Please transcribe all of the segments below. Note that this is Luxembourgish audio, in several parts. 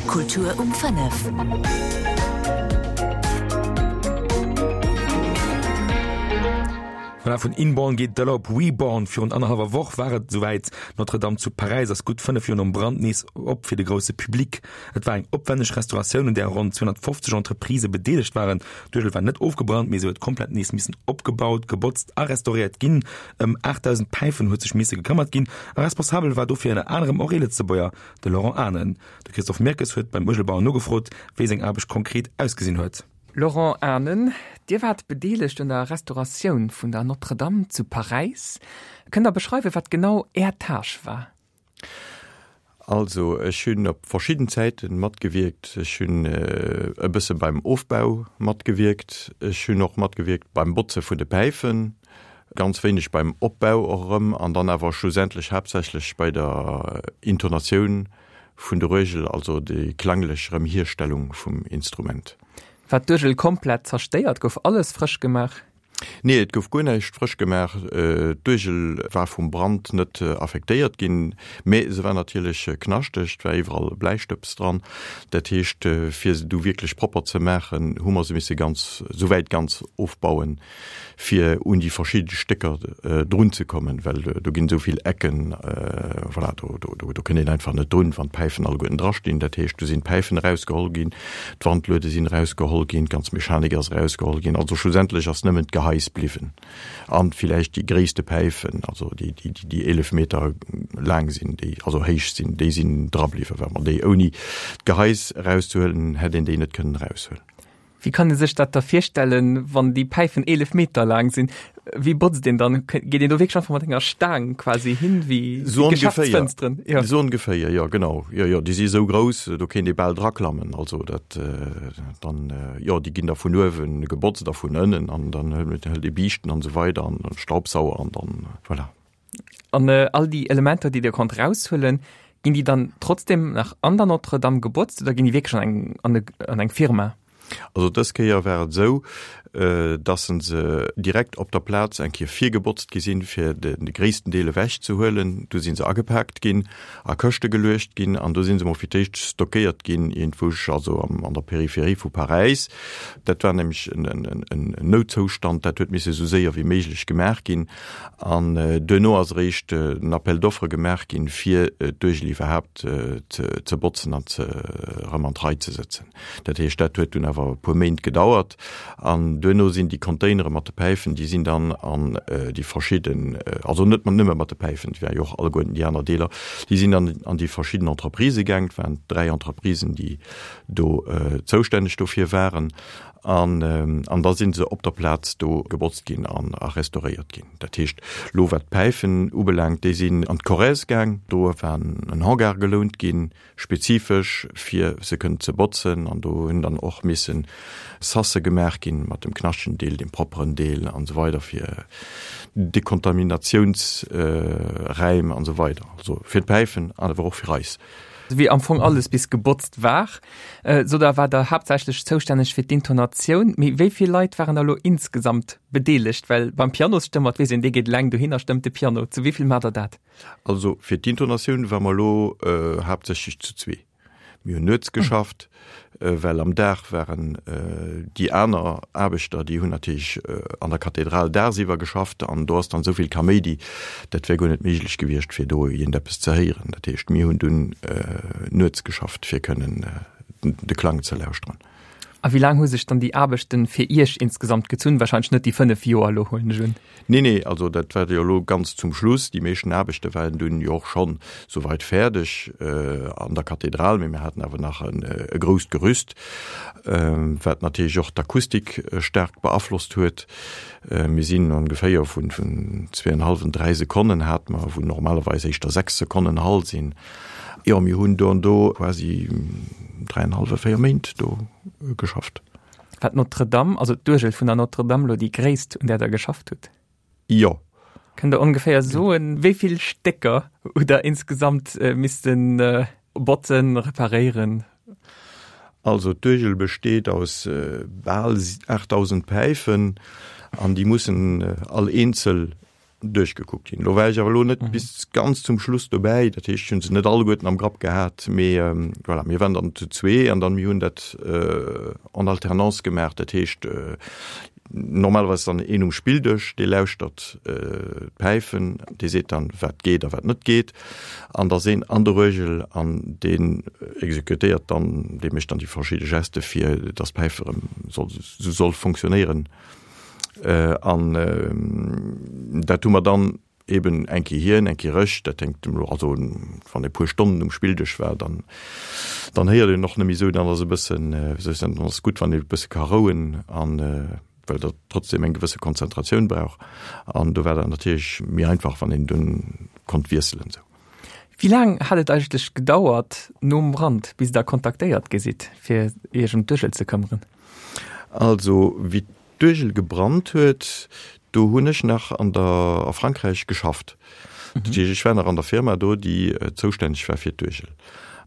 Kultur um 5. Voilà, vun Inborn geet d'Ëller op Reborn. Virun annerhallwer Woch war et esouwäit. D'Notre-Dame zu Paräis ass gutt 5 Joer nom Brand nees op fir de grousse Public. Et war eng opwänneg Restauratioun, un där ronn 250 Entreprisë bedeelegt waren. D'Uergel war net ofgebrannt, mee se huet komplett nees missen opgebaut, gebotzt a restauréiert ginn. Ëm 8.000 Päifen huet sech misse gekëmmert ginn a responsabel war dofir ënner anerem och ee Lëtzebuerger, de Laurent Anen. De Christophe Mirkes huet beim Uergelbauer nogefrot, wéi seng Aarbecht konkret ausgesinn huet. Laurent Anen, Dir waart bedeelegt un der Restauratioun vun der Notre-Dame zu Paräis. Kënnt Der beschreiwen, wat genau Är Tâche war? Also ech hunn op verschidden Zäiten matgewierkt. Ech hunn e bësse beim Ofbau matgewierkt. Ech hunn och matgewierkt beim Botze vun de Päifen, ganz wéineg beim Opbau och erëm an dann awer schlussendlech haaptsächlech bei der Intonatioun vun der Uergel, also déi klanglech Erëmhierstellung vum Instrument. War d'Uergel komplett zerstéiert? Gouf alles frësch gemaach? Nee, et gouf guer näischt frësch gemaach. D'Uergel war vum Brand net affektéiert ginn, mä se war natierlech knaschteg, et war iwwerall Bläistëbs dran. Dat heescht, fir se du wierklech propper ze maachen, hu mer se misse ganz, souwäit ganz ofbauen, fir un déi verschidde Stécker drunzekommen, well do ginn esou vill Ecken, voilà, do, do, do kënnt een einfach net drun, wann d'Päifen alleguerten drastinn. Dat heescht, do sinn d'Päifen erausgeholl ginn, D'Wandluede sinn erausgeholl ginn, d'ganz Mechanik ass erausgeholl ginn. Also schlussendlech ass nëmmen d'Gehais bliwwen an villäicht déi gréisste Päifen, also déi, déi, déi 11 Meter laang sinn, déi also héich sinn, déi sinn dra bliwwen, well mer déi ouni d'Gehais erauszehuelen, hätt een déi net kënnen eraushuelen. Wéi kann ee sech dat da virstellen, wann déi Päifen 11 Meter laang sinn? Wéi botzt een dann? Geet een do wierklech einfach mat enger Staang quasi hin, wéi so Geschäftsfënsteren? Ja. So ongeféier, jo genau. Jo, jo, déi si esou grouss, do kéint ee bal draklammen. Also dat dann, jo, déi ginn da vun uewe gebotzt a vun ënnen an dann hëlt ee Biischten an esou weider an Staubsauer an dann, voilà. An all déi Elementer, déi Dir konnt raushuelen, ginn déi dann trotzdem nach an der Notre-Dame gebotzt oder ginn déi wierklech an eng, an e, an eng Firma? Also dës Kéier war et esou, dass se se direkt op der Plaz eng Kéier virgebotzt gi sinn, fir de gréissten Deel ewech ze huelen. Du si se agepaakt ginn, a Këschte geluecht ginn an do si se mol fir d'éischt stockéiert ginn iergendwousch, also an der Peripherie vu Paräis. Dat war nämlech en Noutzoustand, dat huet misse esou séier wéi méiglech gemaach ginn. An duerno ass eréischt den Appel d'offres gemaach ginn, fir d'Uergel iwwerhaapt ze botzen an erëm an d'Rei ze sëtzen. Dat heescht, dat huet dunn awer e puer Méint gedauert. An duerno sinn déi Containere mat de Päifen, déi sinn dann an déi verschidden, also net nëmme mat de Päifen, et ware jo och alleguerten déi aner Deeler, déi sinn dann an déi verschidden Entreprisë gaang. Et waren 3 Entreprisen, déi do zoustänneg dofir waren. An an da si se op der Plaz do gebotzt ginn an a restauréiert ginn. Dat heescht, elo wat d'Päifen ubelaangt, déi sinn an d'Corrèze gaang. Do war en Hangar gelount ginn, spezifesch fir se kënnen ze botzen an do hunn dann och misse Sasse gemaach ginn mat dem knaschtegen Deel, dem propperen Deel an esou weider fir Dekontaminatiounsräim an esou weider. Also fir d'Päifen an awer och fir eis. Wéi am Fong alles bis gebotzt war, sot Der, war Der haaptsächlech zoustänneg fir d'Intonatioun. Mee wéi vill Leit waren da lo insgesamt bedeelegt? Well beim Pianosstëmmer, weess een, dee geet eleng dohin a stëmmt de Piano. Zu wéi vill maacht Der dat? Also fir d'Intonatioun ware mer elo haaptsächlech zu zwee. Mir hunn nuets geschafft, well am Dag waren déi aner Aarbechter, déi hunn natierlech an der Kathedral dagsiwwer geschafft an do ass dann esou vill Kaméidi, dat wär guer net méiglech gewiescht, fir do iergendeppes ze héieren. Dat heescht, mir hunn dunn nuets geschafft, fir kënnen de Klang ze lauschteren. A wéi laang hu sech dann déi Aarbechten fir Iech insgesamt gezunn? Wahrscheinlech net déi 5 Joer elo, huelen ech un. Nee, nee, also dat war jo elo ganz zum Schluss. Déi meeschten Aarbechte waren dunn jo och schonn souweit fäerdeg an der Kathedral, mee mir haten awer nach e grousst Gerüst, wat natierlech och d'Akustik staark beaflosst huet. Mir sinn ongeféier vun zweeënhallwen, dräi Sekonnen hate mer, wou normalerweis éischter 6 Sekonnen Hall sinn. Jo, mir hunn do an do quasi dräienhallwe, 4 Méint do geschafft. War d'Notre-Dame, also d'Uergel vun der Notre-Dame elo déi gréisst, un där Der geschafft hutt? Jo. Kënnt Der ongeféier soen, wéi vill Stécker hutt Der insgesamt misste botzen, reparéieren? Also d'Uergel besteet aus bal 8.000 Päifen an déi mussen all eenzel. duerchgekuckt ginn. Lo war ech awer elo net bis ganz zum Schluss dobäi, dat heescht, ech hunn se net alleguerten am Grapp gehat, mee voilà, mir waren dann zu zwee an dann mir hunn dat en alternance gemaach, dat heescht normalerweis dann een um Spilldësch, dee lauschtert d'Päifen, dee seet dann, wat geet a wat net geet, an da ass een an der Uergel an deen exekutéiert dann, dee mécht dann déi verschidde Geste fir datt d'Päif erëm soll esou soll fonctionnéieren. An dat hu mer dann eben eng Kéier hien, eng Kéier ech. Dat hänkt elo, also wann ee puer Stonnen um Spilldësch war, dann dann héiert een och net méi esou, dann ass e bëssen, wéi soll ech soen, dann ass et gutt, wann ee e bësse ka rouen an well dat trotzdem eng gewësse Konzentratioun brauch. An do war dat natierlech méi einfach, wann een dunn konnt wiesselen esou. Wéi laang hat et eigentlech gedauert nom Brand, bis Der kontaktéiert gi sidd, fir Iech ëm d'Uergel ze këmmeren? Also wéi d'Uergel gebrannt huet, do hunn ech nach an der a Frankräich geschafft. Dat heescht, ech war nach an der Firma do, déi zoustänneg war fir d'Uergel.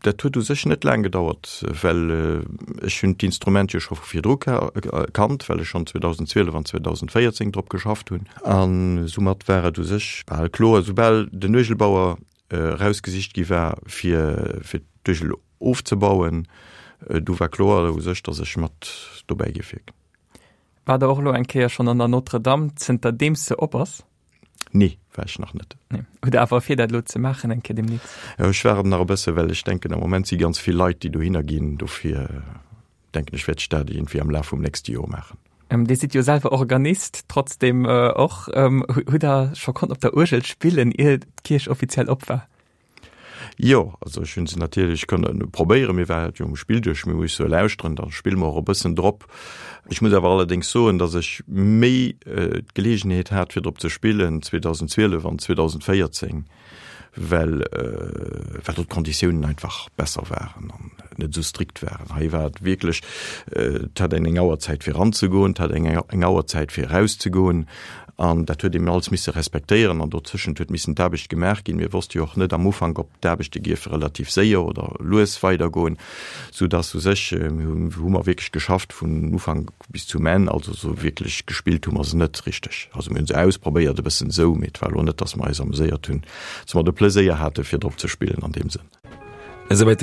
Dat huet u sech net laang gedauert, well ech hunn d'Instrument jo scho vu virdru kannt, well ech schonn 2012 an 2014 drop geschafft hunn. A soumat war et u sech bal kloer, soubal den Uergelbauer erausgesicht gi war, fir d'Uergel ofzebauen, du war kloer u sech, datt ech mat dobäi géif wierken. War der och elo eng Kéier schonn an der Notre-Dame, zënter deems se op ass? Nee, war ech nach net. Nee. Hutt Der awer vir, dat elo ze maachen eng Kéier demnächst? Jo, ech waarden nach e bësse, well ech denken, am Moment si ganz vill Leit, déi dohinner ginn. Dofir denken ech, wäert ech dat iergendwéi am Laf vum nächste Joer maachen. Dir sidd jo selwer Organist, trotzdem och. Hutt Der scho konnt op der Uergel spillen, ier d'Kierch offiziell op war? Jo, also ech hunn se natierlech kënne probéieren. Mir war jo um Spilldësch, mir musse lauschteren, da spille mer och e bëssen drop. Ech muss awer allerdéngs soen, datt ech méi d'Geleegenheet hat fir drop ze spillen 2012 an 2014, well well do d'Konditiounen einfach besser waren an net esou strikt waren. Hei war et wierklech, et hat een eng Auerzäit fir eranzegoen, et hat een eng Auerzäit fir erauszegoen. An dat huet een alles misse respektéieren an dozëschent huet missen d'Aarbecht gemaach ginn. Mir wosste jo och net am Ufank, ob d'Aarbechte gierfe relativ séier oder lues weidergoen, soudass u sech, hu mer wierklech geschafft vun Ufank bis zum Enn. Also esou wierklech gespillt hu mer se net richteg. Also mir hu se ausprobéiert e bëssen esou, mee et war elo net, dass mer eis ameséiert hunn, dass mer de Pleséier hate fir drop ze spillen an deem Sënn. Esouwäit de.